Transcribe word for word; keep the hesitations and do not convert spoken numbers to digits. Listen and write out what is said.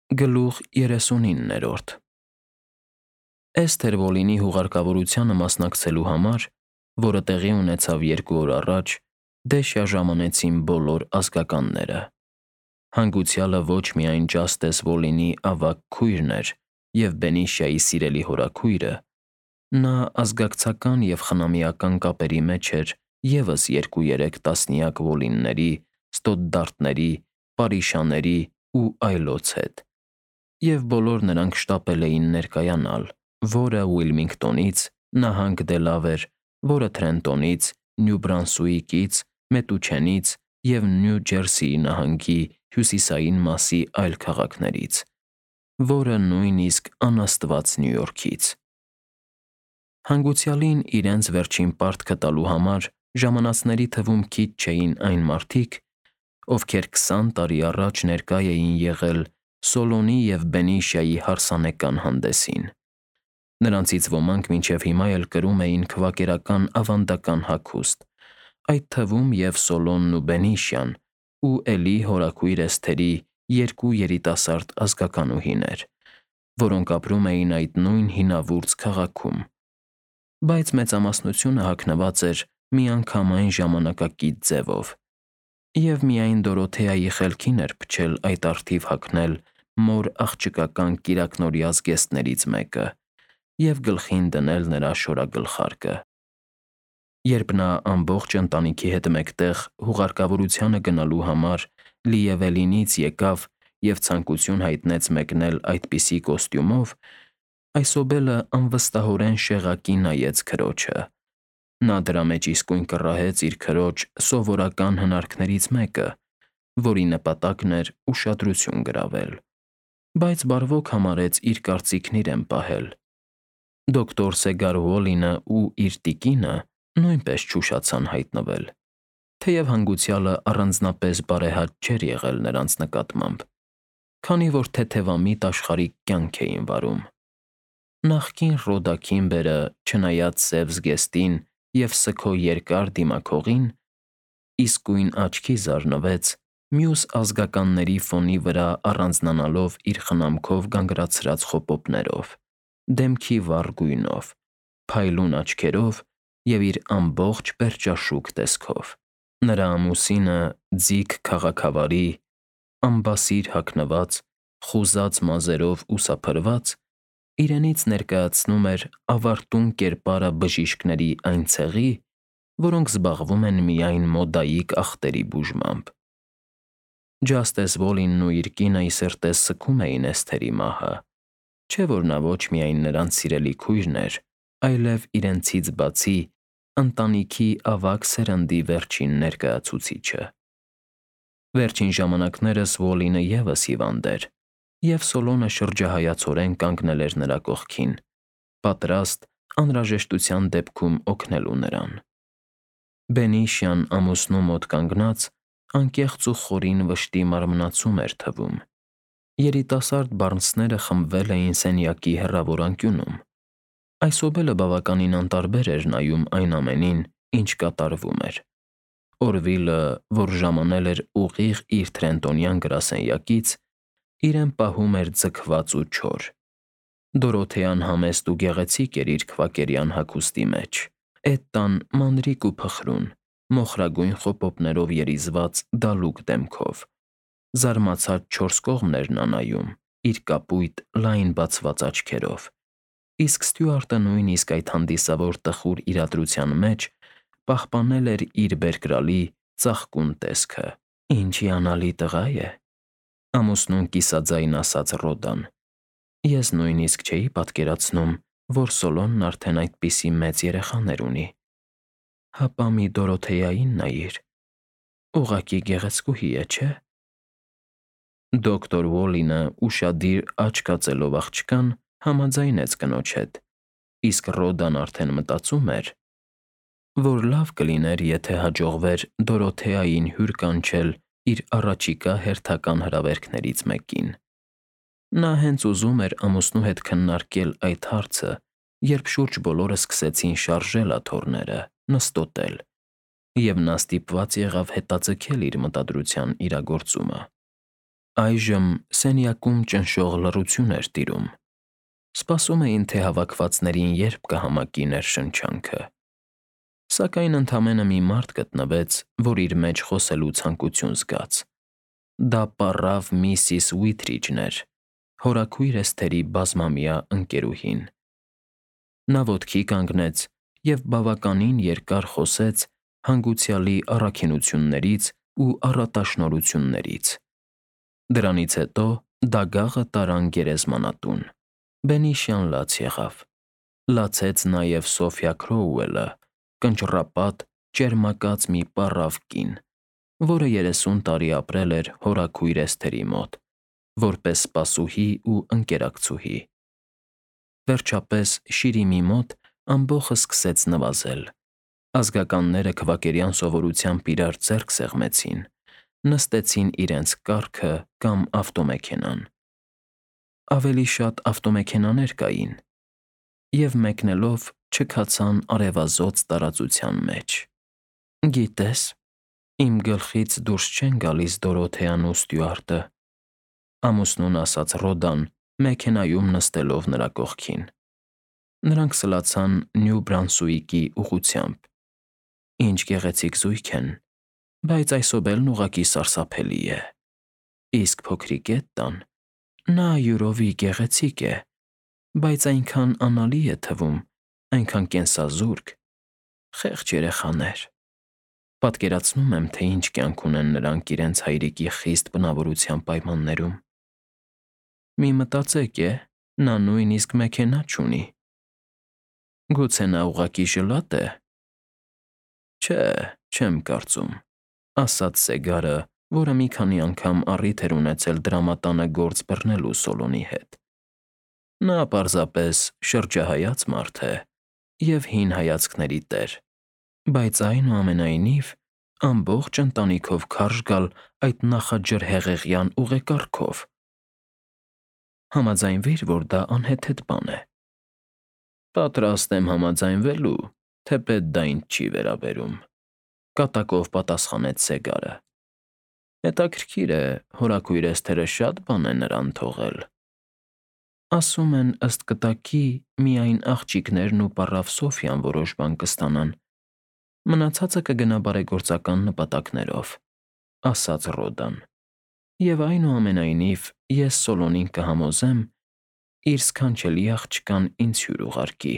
Գլուխ երեսունիններորդ Էսթեր Վոլինի հուղարկավորությանը մասնակցելու համար, որը տեղի ունեցավ երկու օր առաջ, Դեշյա ժամանեցին բոլոր ազգականները։ Հանգուցյալը ոչ միայն Ջաստես Վոլինի ավագ քույրն էր և Բենիշիայի սիրելի հորաքույրը, նա ազգակցական և խնամիական կապերի մեջ էր ևս երկու-երեք տասնյակ Վոլինների, Ստոդդարտների, Պարիշաների ու այլոց հետ, և բոլոր նրանք շտապել էին ներկայանալ, որը Ուիլմինգտոնից, նահանգ Դելավեր, որը Թրենտոնից, Նյու Բրանսուիկից, Մետուչենից և Նյու Ջերսիի նահանգի հյուսիսային մասի այլ քաղաքներից, որը նույնիսկ անաստված Նյու Յորքից։ Հանգուցյալին իրենց վերջին պարտքը տալու համար ժամանածների թվում քիչ չէին այն մարդիկ, ովքեր քսան տարի առաջ ներկա էին եղել Սոլոնի և Բենիշիայի հարսանեկան հանդեսին։ Նրանցից ոմանք մինչև հիմա էլ կրում էին քվակերական ավանդական հագուստ, այդ թվում և Սոլոնն ու Բենիշիան ու Էլի հորաքույր Էսթերի երկու երիտասարդ ազգականուհիներ, որոնք ապրում էին այդ նույն հինավուրց քաղաքում, բայց մեծամասնությունը հագնված էր միանգամայն ժամանակակից ձևով, և միայն Դորոթեայի խելքին էր փչել այդ առթիվ հագնել մոր աղջկական կիրակնօրյա զգեստներից մեկը և գլխին դնել նրա շորագլխարկը։ Երբ նա ամբողջ ընտանիքի հետ մեկտեղ հուղարկավորությանը գնալու համար Լիևելինից եկավ և ցանկություն հայտնեց մեկնել այդպիսի կոստյումով, այսոբելը անվստահորեն շեղակի նայեց քրոջը։ Նա դրա մեջ իսկույն կռահեց իր քրոջ սովորական հնարքներից մեկը, որի նպատակն էր ուշադրություն գրավել, բայց բարվոք համարեց իր կարծիքն իրեն պահել։ Դոկտոր Սեգար Ուոլինը ու իր տիկինը նույնպես չուշացան հայտնվել, թեև հանգուցյալը առանձնապես բարեհաճ չէր եղել նրանց նկատմամբ, քանի որ թեթևամիտ աշխարհիկ կյանք էին վարում։ Նախկին Ռոդա Քիմբերը, չնայած սև զգեստին և սգո երկար դիմաքողին, իսկույն աչքի զարնվեց մյուս ազգականների ֆոնի վրա առանձնանալով իր խնամքով գանգրացրած խոպոպներով, դեմքի վառ գույնով, փայլուն աչքերով և իր ամբողջ պերճաշուք տեսքով։ Նրա ամուսինը ձիգ քաղաքավարի, ամբասիր հագնված, խուզած մազերով ուսափրված, իրենից ներկայացնում էր ավարտուն կերպարը բժիշկների այն ցեղի, որոնք զբաղվում են միայն մոդայի ախտերի բուժմամբ։ Ջաստես Վոլինն ու իր կինը ի սրտե սգում էին Էսթերի մահը, չէ՞ որ նա ոչ միայն նրանց սիրելի քույրն էր, այլև իրենցից բացի ընտանիքի ավագ սերնդի վերջին ներկայացուցիչը։ Վերջին ժամանակներս Վոլինը ևս հիվանդ էր, և Սոլոնը շրջահայացորեն կանգնել էր նրա կողքին, պատրաստ անհրաժեշտության դեպքում օգնելու նրան։ Բենիշիան ամուսնու մոտ կանգնած անկեղծ ու խորին վշտի մարմնացում էր թվում։ Երիտասարդ բառնցքները խմբվել էին սենյակի հեռավոր անկյունում։ Այսոբելը բավականին անտարբեր էր նայում այն ամենին, ինչ կատարվում էր։ Օրվիլը, որ ժամանել էր ուղիղ իր թրենտոնյան գրասենյակից, իրեն պահում էր ձգված ու չոր։ Դորոթեան համեստ ու գեղեցիկ էր իր քվակերյան հագուստի մեջ, էդ տան մանրիկ ու փխրուն, մոխրագույն խոպոպներով երիզված դալուկ դեմքով։ Զարմացած չորս կողմն էր նա նայում իր կապույտ, լայն բացված աչքերով, իսկ Ստյուարտը նույնիսկ այդ հանդիսավոր տխուր իրադրության մեջ պահպանել էր իր բերկրալի, ծաղկուն տեսքը։ «Ինչ հիանալի տղա է,» ամուսնուն կիսաձայն ասաց Ռոդան։ «Ես նույնիսկ չէի պատկերացնում, որ Սոլոնն արդեն այդպիսի մեծ երեխաներ ունի։ Հապա մի Դորոթեային նայիր, ուղղակի գեղեցկուհի է, չէ՞»։ Դոկտոր Ուոլինը ուշադիր աչք հածելով աղջկան, համաձայնեց կնոջ հետ, իսկ Ռոդան արդեն մտածում էր, որ լավ կլիներ, եթե հաջողվեր Դորոթեային հյուր կանչել իր առաջիկա հերթական հրավերքներից մեկին։ Նա հենց ուզում էր ամուսնու հետ քննարկել այդ հարցը, երբ շուրջ բոլորը սկսեցին շարժել աթոռները, նստոտել, և նա ստիպված եղավ հետաձգել իր մտադրության իրագործումը։ Այժմ սենյակում ճնշող լռություն էր տիրում։ Սպասում էին, թե հավաքվածներին երբ կհամակի ներշնչանքը։ Սակայն ընդամենը մի մարդ գտնվեց, որ իր մեջ խոսելու ցանկություն զգաց։ Դա պառավ միսիս Ուիթրիջն էր, հորաքույր Էսթերի բազմամյա ընկերուհին։ Նա ոտքի կանգնեց և բավականին երկար խոսեց հանգուցյալի առաքինություններից ու առատաշնորհություններից։ Դրանից հետո դագաղը տարան գերեզմանատուն։ Բենիշյան լաց եղավ։ Լացեց նաև Սոֆյա Քրոուելը, կնճռապատ, ճերմակած մի պառավ կին, որը երեսուն տարի ապրել էր հորաքույր Էսթերի մոտ, որպես սպասուհի ու ընկերակցուհի։ Վերջապես Շիրիմի մոտ ամբոխը սկսեց նվազել։ Ազգականները քվակերյան սովորությամբ իրար ձեռք սեղմեցին, նստեցին իրենց կառքը կամ ավտոմեքենան։ Ավելի շատ ավտոմեքենաներ կային, և մեկնելով չքացան արևազոծ տարածության մեջ։ «Գիտես, իմ գլխից դուրս չեն գալիս Դորոթեան ու Ստյուարտը», ամուսնուն ասաց Ռոդան՝ մեքենայում նստելով նրա կողքին։ Նրանք սլացան Նյու Բրանսուիկի ուղղությամբ։ «Ինչ գեղեցիկ զույգ են, բայց այս օբելն ուղղակի սարսափելի է։ Իսկ փոքրիկ Էտտան, նա յուրովի գեղեցիկ է, բայց այնքան անալի է թվում, այնքան կենսազուրկ։ Խեղճ երեխաներ։ Պատկերացնում եմ, թե ինչ կյանք ունեն նրանք իրենց հայրիկի խիստ բնավորության պայմաններում։ Մի մտածեք է, նա նույնիսկ մեքենա չունի։ Գուցե նա ուղղակի ժլատ է։ Չէ, չեմ կարծում», ասաց Սեգարը, որը մի քանի անգամ առիթ էր ունեցել դրամատանը գործ բռնելու Սոլոնի հետ։ Նա պարզապես շրջահայաց մարդ է և հին հայացքների տեր, բայց այնուամենայնիվ ամբողջ ընտանիքով քարշ գալ այդ նախաջրհեղեղյան ուղեկարգով։ Համաձայնվիր, որ դա անհեթեթ բան է։ Պատրաստ եմ համաձայնվելու, թեպետ դա ինձ չի վերաբերում, կատակով պատասխանեց Սեգարը։ Հետաքրքիր է, հորաքույր Էսթերը շատ բան է նրան թողել։ Ասում են, ըստ կտակի, միայն աղջիկներն ու պառավ Սոֆյան որոշ բան կստանան, մնացածը կգնա բարեգործական նպատակներով, ասաց Ռոդան։ Եվ այնուամենայնիվ ես Սոլոնին կհամոզեմ իր սքանչելի աղջկան ինձ հյուր ուղարկի։